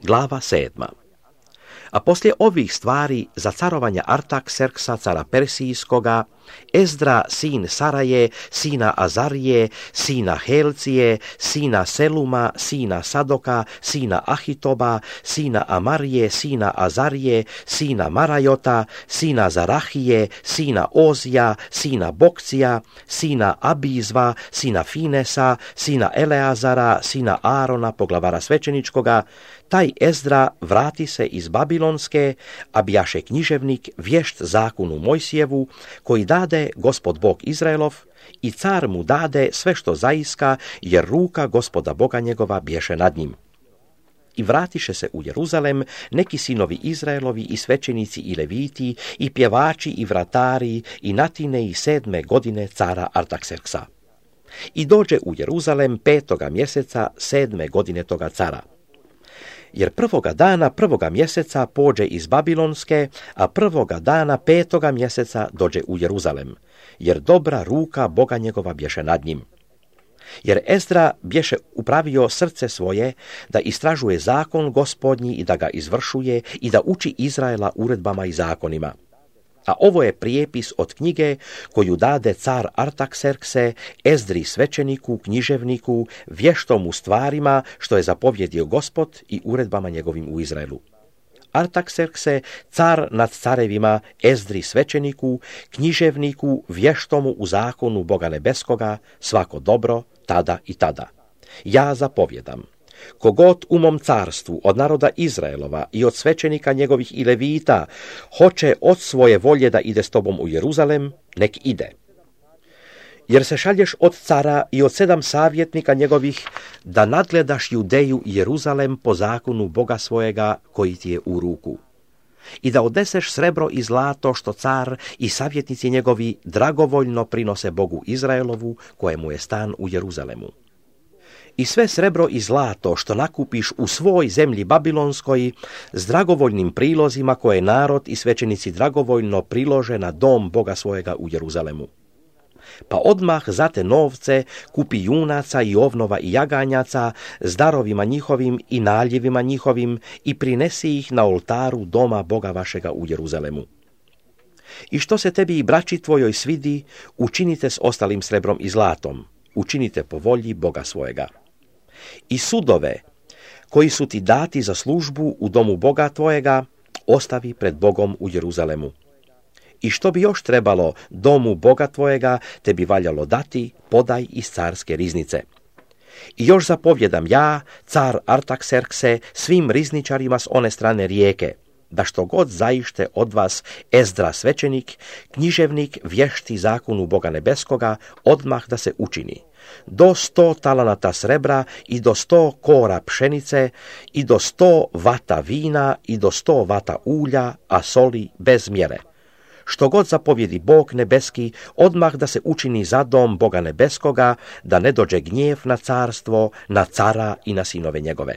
Glava 7. A poslije ovih stvari za carovanja Artakserksa, cara Persijskoga, Ezdra, sin Saraje, sina Azarije, sina Helcije, sina Seluma, sina Sadoka, sina Ahitoba, sina Amarije, sina Azarije, sina Marajota, sina Zarahije, sina Ozija, sina Bokcija, sina Abizva, sina Finesa, sina Eleazara, sina Arona, poglavara svećeničkoga, taj Ezdra vrati se iz Babilonske, a bjaše književnik vješt zakonu Mojsijevu, koji dade Gospod Bog Izraelov, i car mu dade sve što zaiska, jer ruka Gospoda Boga njegova bješe nad njim. I vratiše se u Jeruzalem neki sinovi Izraelovi i svećenici i leviti, i pjevači i vratari, i natine i 7. godine cara Artakserksa. I dođe u Jeruzalem 5. mjeseca 7. godine toga cara. Jer 1. dana 1. mjeseca pođe iz Babilonske, a 1. dana 5. mjeseca dođe u Jeruzalem, jer dobra ruka Boga njegova bješe nad njim. Jer Ezdra bješe upravio srce svoje da istražuje zakon Gospodnji i da ga izvršuje i da uči Izraela uredbama i zakonima. A ovo je prijepis od knjige koju dade car Artakserkse, Ezdri svećeniku, književniku, vještom u stvarima što je zapovjedio Gospod i uredbama njegovim u Izraelu. Artakserkse, car nad carevima, Ezdri svećeniku, književniku, vještomu u zakonu Boga nebeskoga, svako dobro, tada i tada. Ja zapovjedam. Kogod u mom carstvu od naroda Izraelova i od svećenika njegovih i levita hoće od svoje volje da ide s tobom u Jeruzalem, nek ide. Jer se šalješ od cara i od 7 savjetnika njegovih da nadgledaš Judeju i Jeruzalem po zakonu Boga svojega koji ti je u ruku. I da odneseš srebro i zlato što car i savjetnici njegovi dragovoljno prinose Bogu Izraelovu kojemu je stan u Jeruzalemu. I sve srebro i zlato što nakupiš u svoj zemlji Babilonskoj s dragovoljnim prilozima koje narod i svećenici dragovoljno prilože na dom Boga svojega u Jeruzalemu. Pa odmah za te novce kupi junaca i ovnova i jaganjaca s darovima njihovim i naljevima njihovim i prinesi ih na oltaru doma Boga vašega u Jeruzalemu. I što se tebi i braći tvojoj svidi, učinite s ostalim srebrom i zlatom, učinite po volji Boga svojega. I sudove koji su ti dati za službu u domu Boga tvojega, ostavi pred Bogom u Jeruzalemu. I što bi još trebalo domu Boga tvojega, te bi valjalo dati, podaj iz carske riznice. I još zapovjedam ja, car Artakserkse, svim rizničarima s one strane rijeke, da što god zaište od vas Ezdra svećenik, književnik, vješti zakonu Boga nebeskoga, odmah da se učini. Do 100 talanata srebra i do 100 kora pšenice i do 100 vata vina i do 100 vata ulja, a soli bez mjere. Što god zapovjedi Bog nebeski, odmah da se učini za dom Boga nebeskoga, da ne dođe gnjev na carstvo, na cara i na sinove njegove.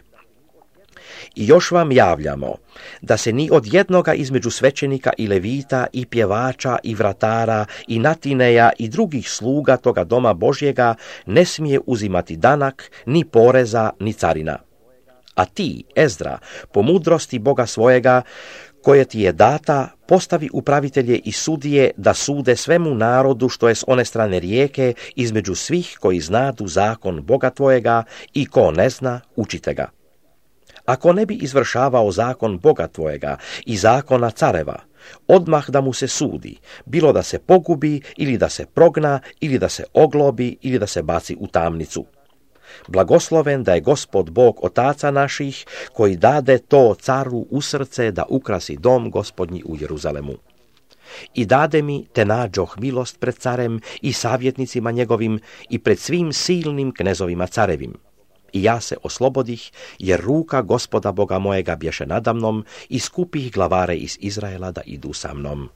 I još vam javljamo da se ni od jednoga između svećenika i levita i pjevača i vratara i natineja i drugih sluga toga doma Božjega ne smije uzimati danak, ni poreza, ni carina. A ti, Ezdra, po mudrosti Boga svojega, koje ti je data, postavi upravitelje i sudije da sude svemu narodu što je s one strane rijeke između svih koji znadu zakon Boga tvojega i ko ne zna, učite ga. Ako ne bi izvršavao zakon Boga tvojega i zakona careva, odmah da mu se sudi, bilo da se pogubi ili da se progna ili da se oglobi ili da se baci u tamnicu. Blagosloven da je Gospod Bog otaca naših, koji dade to caru u srce da ukrasi dom Gospodnji u Jeruzalemu. I dade mi te nađoh milost pred carem i savjetnicima njegovim i pred svim silnim knezovima carevim. I ja se oslobodih, jer ruka Gospoda Boga mojega bješe nadamnom i skupih glavare iz Izraela da idu sa mnom.